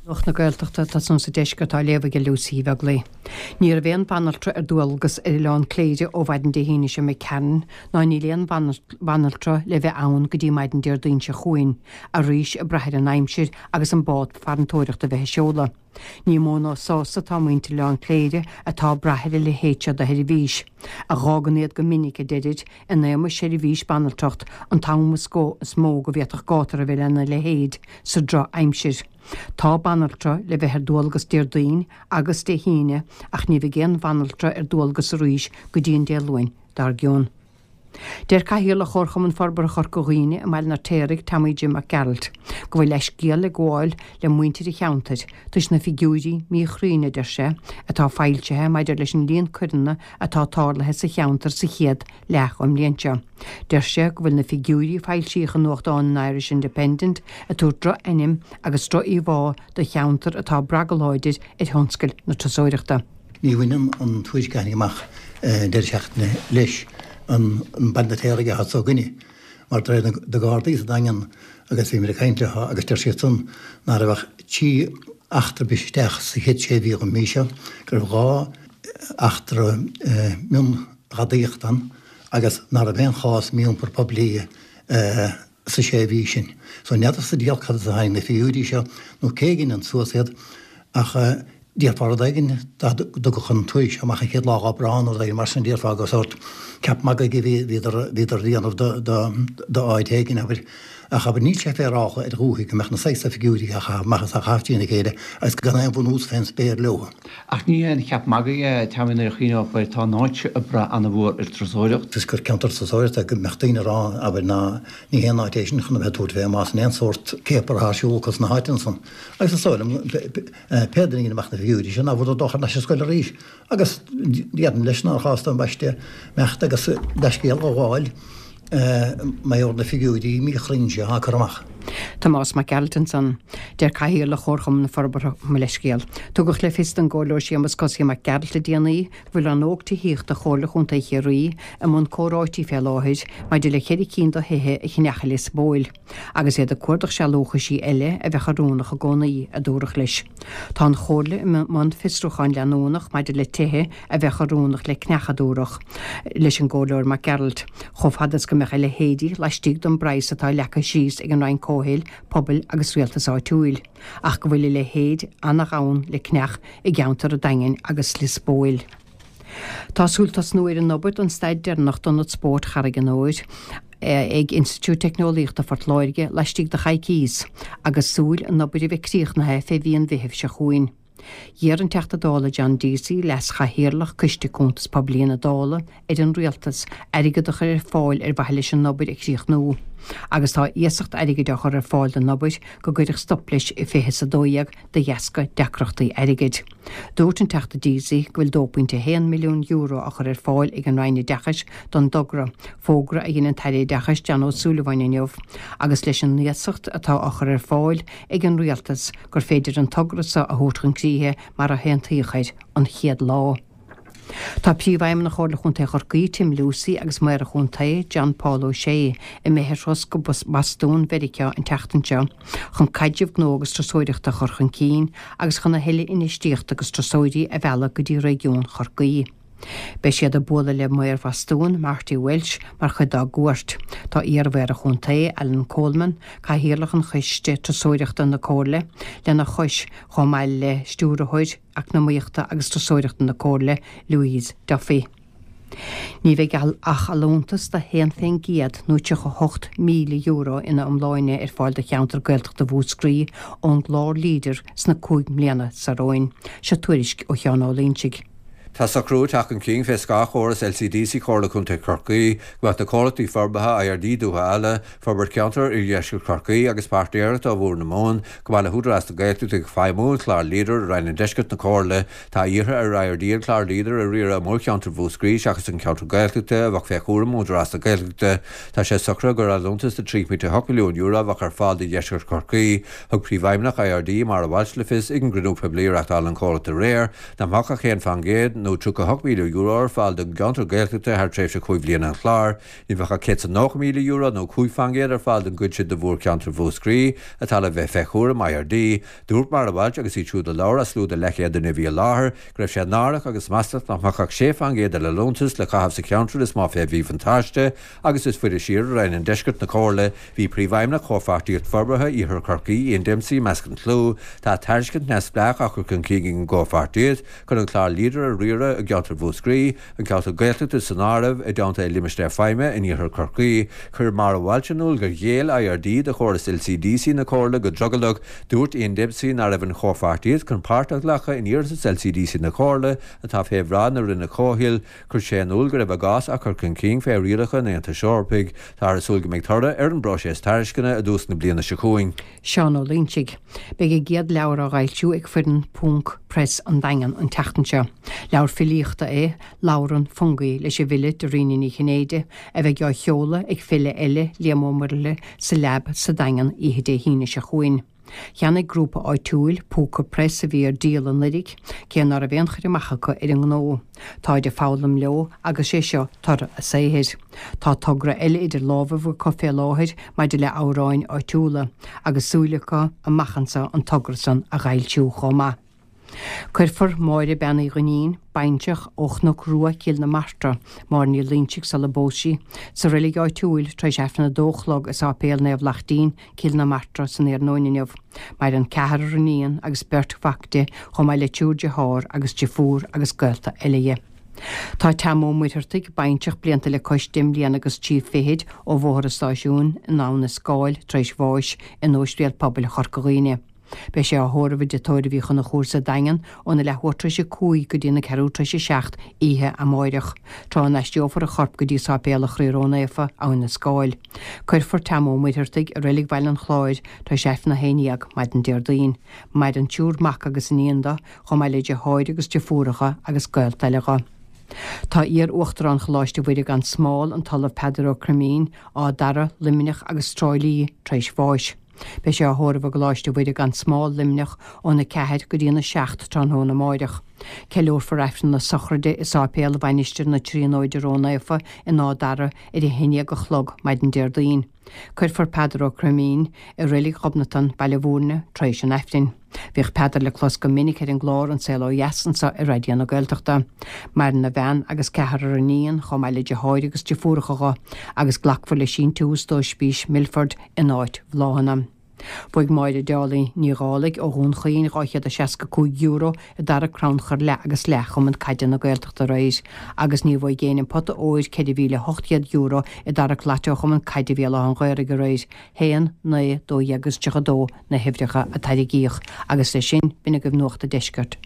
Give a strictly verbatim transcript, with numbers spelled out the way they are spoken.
Nuacht na Gaeltachta tá san sa deisceart á léamh ag Lucy Bheaglaoich. Ní raibh aon bhanaltra ar dualgas ar Oileán Cléire ó mhaidin Dé hAoine seo imigh tharainn ná níl aon bhanaltra le bheith ann go dtí maidin Déardaoin seo chugainn, arís ag brath ar an aimsir agus an bád farantóireachta a bheith ag seoladh. Ní mó ná sásta atá muintir Oileán Cléire atá ag brath ar a leithéid seo de sheirbhís, a dh'fhágann iad go minic, a deirid, in éagmais seirbhís banaltracht an t-am is go is mó go bhféadfadh gátar a bheith lena leithéid sa drochaimsir. Tá banaltra le bheith ar dualgas Déardaoin agus Dé hAoine ach ní bheidh aon bhanaltra ar dualgas arís go dtí an Dé Luain dár gcionn. Deir Cathaoirleach Chomharchumann Forbartha Chorca Dhuibhne i mBaile an Fheirtéaraigh, Tommy Jim Mac Gearailt, go bhfuil leithscéal ag gabháil le muintir an cheantair toisc na figiúirí míchruinne, a deir sé, atá foilsithe maidir leis an líon coireanna atá tarlaithe sa cheantar sa chéad leath den mbliain seo. Deir sé go bhfuil na figiúirí a foilsíodh i nuachtán an Irish Independent ag tabhairt droch-ainm agus droch-íomhá do cheantar atá ag brath go láidir ar thionscal na turasóireachta. Ní bhaineann an tuairisc a tháinig amach an deireadh seachtaine leis an Baile an Fheirtéaraigh atá s'againne, mar de réir na Gardaí sa Daingean agus bhí muid ag caint leo agus deir siad san ná raibh ach trí eachtra bris isteach sa chéad sé mhí den mhí seo, go raibh dhá eachtra mionghadaíochta ann agus ná raibh aon chás mí-iompar poiblí sa sé mhí sin. So n'fheadar sa diabhal cad as a tháinig na figiúirí seo nó cé a dhein suas iad ach déarfá rud éigin dá dtugadh an tuairisc seo amach an chéad lá d'Aibreán nó rud éigin mar sin déarfá gur sórt ceap magaidh a bhí bhíodar bhíodar a dhéanamh do do d'áit éigin abair ach abair níl sé féaráilte ar dhúthaigh go mbeadh na saghas figiúirí á chaitheamh amach is á chaitheamh trína chéile agus gan aon bhunús fén spéir leo. Ach ní haon cheap magaidh é, Tommy, nuair a chuimhneofar air, tá an áit seo ag brath an-mhór ar turasóireacht. Is gur ceantar turasóireachta go mbeadh daoine ag rá, abair, ná ní haon áit é sin chun a bheith ag tabhairt fé más in aon sórt céapar atá ar siúl acu sna háiteanna san. Agus is dóigh liom, pé duine a dhein amach na figiúirí sin, ná fuair dul thar n-ais ar scoil arís. Agus déarfainn leis nár chás d'ambaiste imeacht agus leithscéal a ghabháil mar gheall ar na figiúirí míchruinn seo á cur amach. Tomás Mac Gearailt ansan. Deir Cathaoirleach Chomharchumann Forbartha mo leithscéal. Tugadh le fios don gComhairleoir Séamus Cosaí Mac Gearailt le déanaí go bhfuil rannóg tithíochta Chomhairle Chontae Chiarraí i mbun comhráití fé láthair maidir le ceithre cinn de thithe a cheannach i Lios Póil agus iad ag cuardach sealúchaisí eile a bheadh oiriúnach i gcónaí, a dúradh leis. Tá an Chomhairle i mbun fiosrúcháin leanúnach maidir le tithe a bheadh oiriúnach le ceannach, a dúradh leis an gComhairleoir Mac Gearailt, chomh fada is go mbeadh a leithéidí laistigh den bpraghas atá leagtha síos ag an Roinn Comhshaoil, Pobail agus Rialtais Áitiúil, ach go bhfuil a leithéid an-ghann le ceannach i gceantar an Daingin agus Lios Póil. Tá súil tosnú ar an obair don staid deireanach d'Ionad Spóirt Charraig an Óir ag Institiúid Teicneolaíochta Phort Láirge laistigh de choicíos, agus súil an obair a bheith críochnaithe fé mhí an Mheithimh seo chugainn. D'iarr an Teachta Dála John Deasy, Leas-Chathaoirleach Coiste Cuntas Poiblí na Dála, ar an Rialtas airgead a chur ar fáil ar mhaithe leis an obair a chríochnú, agus tá iasacht airgid á chur ar fáil don obair go gcuirfeadh stop leis i fiche is a dó dhéag de dheasca deacrachtaí airgid. Dúirt an Teachta Deasy go bhfuil dó pointe a haon milliún euro á chur ar fáil ag an Roinn Oideachais don dtogra, fógra a dhein an tAire Oideachais John Ó Súilleabháin inniu, agus leis an iasacht atá á chur ar fáil ag an Rialtas gur féidir an togra seo a thabhairt chun críche mar a haontaíodh air an chéad lá. Tá Príomhfheidhmeannach Chomhairle Chontae Chorcaí, Tim Lucey agus Maor an Chontae, John Paul O'Shea, imithe ar thuras go Bostún Mheiriceá an tseachtain seo chun caidreamh gnó agus turasóireachta a chur chun cinn agus chun a thuilleadh infheistíochta agus turasóirí a mhealladh go dtí réigiún Chorcaí. Beidh siad ag bualadh le Maor Bhostún, Marty Walsh, mar chuid dá gcuairt. Tá iar-mhaor an chontae, Alan Coleman, Cathaoirleach an Choiste Turasóireachta na Comhairle, lena chois, chomh maith le Stiúrthóir Eacnamaíochta agus Turasóireachta na Comhairle, Louise Duffy. Ní bheidh ach allúntas de haon faoin gcéad nó tríocha hocht míle euro ina iomláine ar fáil do cheantar Gaeltachta Mhúscraí ón gclár Leader sna cúig mbliana seo romhainn. Seo tuairisc ó Sheán Ó Loingsigh. Tá socrú ag teacht chun cinn fé scáth chóras LCDC Chomhairle Contae Chorcaí go mbeadh na comhlachtaí forbartha IRD Dúiche Ealla, Forbairt Ceantair Iardheisceart Chorcaí agus Páirtnéireacht ó Bhóthar na Mumhan, chomh maith le hÚdarás na Gaeltachta ag feidhmiú an chláir Leader i Roinn an Deiscirt na Comhairle. Tá iarrtha ar IRD an clár Leader a riaradh i mórcheantar Mhúscraí seachas an ceantar Gaeltachta a bheadh fé chúram Údarás na Gaeltachta. Tá sé socraithe gur allúntas de trí pointe hocht milliún euro a bheadh ar fáil do Dheisceart Chorcaí. Thug Príomhfheidhmeannach IRD, Máire Walsh le fios ag an gcruinniú poiblí a reáchtáil an comhlacht aréir, nach mbeadh ach haon faoin gcéad, nó tríocha a hocht míle euro ar fáil don gceantar Gaeltachta thar tréimhse cúig bhliana an chláir. Ní bheadh ach céad is nócha míle euro nó cúig faoin gcéad ar fáil don gcuid sin de mhórcheantar Mhúscraí atá le bheith fé chúram IRD. Dúirt Maura Walsh agus iad siúd a labhair as slua de leathchéad duine a bhí i láthair go raibh sé náireach agus maslach nach mbeadh ach sé faoin gcéad den liúntas le caitheamh sa cheantar is mó fé mhíbhuntáiste agus is faide siar i Roinn an Deiscirt na Comhairle. Bhí Príomhfheidhmeannach Chomhpháirtíocht Forbartha Iarthar Chorcaí, Ian Dempsey, i measc an tslua. Tá tairiscint neamhspleách á chur chun cinn ag an gcomhpháirtíocht chun an clár Leader a riaradh i gceantar Mhúscraí, an ceantar Gaeltachta san áireamh, i dteannta a limistéar feidhme in Iarthar Chorcaí. Chuir Maura Walsh in iúl gur ghéill IRD do chóras LCDC na Comhairle go drogallach. Dúirt Ian Dempsey nach raibh an chomhpháirtíocht chun páirt a ghlacadh in iarratas LCDC na Comhairle atá fé bhráid na Roinne Comhshaoil. Chuir sé in iúl go raibh a gcás á chur chun cinn fé rialacha an Aontais Eorpaigh. Táthar ag súil go mbeidh toradh ar an bpróiseas tairisceana i dtús na bliana seo chugainn. Seán Ó Loingsigh. Beidh a gcéad leabhar á fhoilsiú ag foireann Ponc Press an Daingean an tseachtain seo. Leabhar filíochta é Labhrann Fungie leis an bhfile Dairena Ní Chinnéide, a bheidh á sheoladh ag file eile, Liam Ó Muirthile, sa Lab sa Daingean oíche Dé hAoine seo chugainn. Cheannaigh grúpa áitiúil, Púca Press, a bhí ar díol anuraidh, cé ná raibh aon chur amach acu ar an ngnó. Táid ag foghlaim leo agus sé seo toradh a saothair. Tá togra eile idir lámhaibh acu fé láthair maidir le amhráin áitiúla, agus súil acu amach anso an togra san a fhoilsiú chomh maith. Cuirfear Máire Bean Uí Dhuinnín, baintreach ó Chnoc Rua, Cill na Martra, Máire Ní Loingsigh sula bpós sí, sa reilig áitiúil tar éis Aifreann a dó a chlog i Sáipéal Naomh Lachtaín, Cill na Martra san iarnóin inniu. Maireann ceathrar iníon agus beirt mhac di, chomh maith le triúr dearthár agus deirfiúr agus gaolta eile dhi. Tá Tom Ó Muircheartaigh, baintreach blianta le cois deich mbliana agus trí fichid ó Bhóthar an Stáisiúin in Abha na Scáil tar éis bháis in Ospidéal Pobail Chorca Dhuibhne. Beidh sé á thórramh i dTigh Tórraimh Uí Chonchúir sa Daingean óna leathuair tar éis a cúig go dtí na ceathrú tar éis a seacht oíche amáireach, tráth a n-aistreofar a chorp go dtí Sáipéal an Chroí Ró-Naofa, Abhainn na Scáil. Cuirfear Tom Ó Muircheartaigh i Reilig Bhaile an Chláir tar éis Aifreann a haon dhéag maidin Déardaoin. Maireann triúr mac agus iníon do, chomh maith le deartháir agus deirfiúracha agus gaolta eile dho. Tá iar-Uachtarán Choláiste Mhuire gan Smál, an tOllamh Peadar Ó Croimín, Áth Dara, Luimneach agus Trá Lí, tar éis bháis. Beidh sé á thórramh i gColáiste Mhuire gan Smál, Luimneach, óna ceathair go dtí an a seacht tráthnóna amáireach. Ceiliúrfar Aifreann na sochraide i Sáipéal Mhainistir na Tríonóide Ró-Naofa in Áth Dara ar a haon déag a chlog maidin Déardaoin. Cuirfear Peadar Ó Croimín i Reilig Ghobnatan, Baile Bhúirne, tar éis an Aifrinn. Bhíodh Peadar le clos go minic ar an gclár An Saol Ó Dheas anseo ar Raidió na Gaeltachta. Maireann a bhean agus ceathrar iníon, chomh maith le deartháir agus deirfiúracha dho, agus glacfar le síntiús d'Ospís Milford in áit bhláthanna. Bhuaigh Máire Dálaigh Ní Dhálaigh ó Dhún Chaoin dhá chéad is seasca cúig euro i dtarrac crannchur leath agus leath Chumann Caide na Gaeltachta aréir agus ní bhfuaigh éinne an pota óir ceithre mhíle ocht gcéad euro i dtarrac Lotto Chumann Caide Bhéal Átha an Ghaorthaidh aréir. haon, naoi, dó dhéag agus tríocha dó na huimhreacha a tarraingíodh agus leis sin b'in agaibh Nuacht an Deiscirt.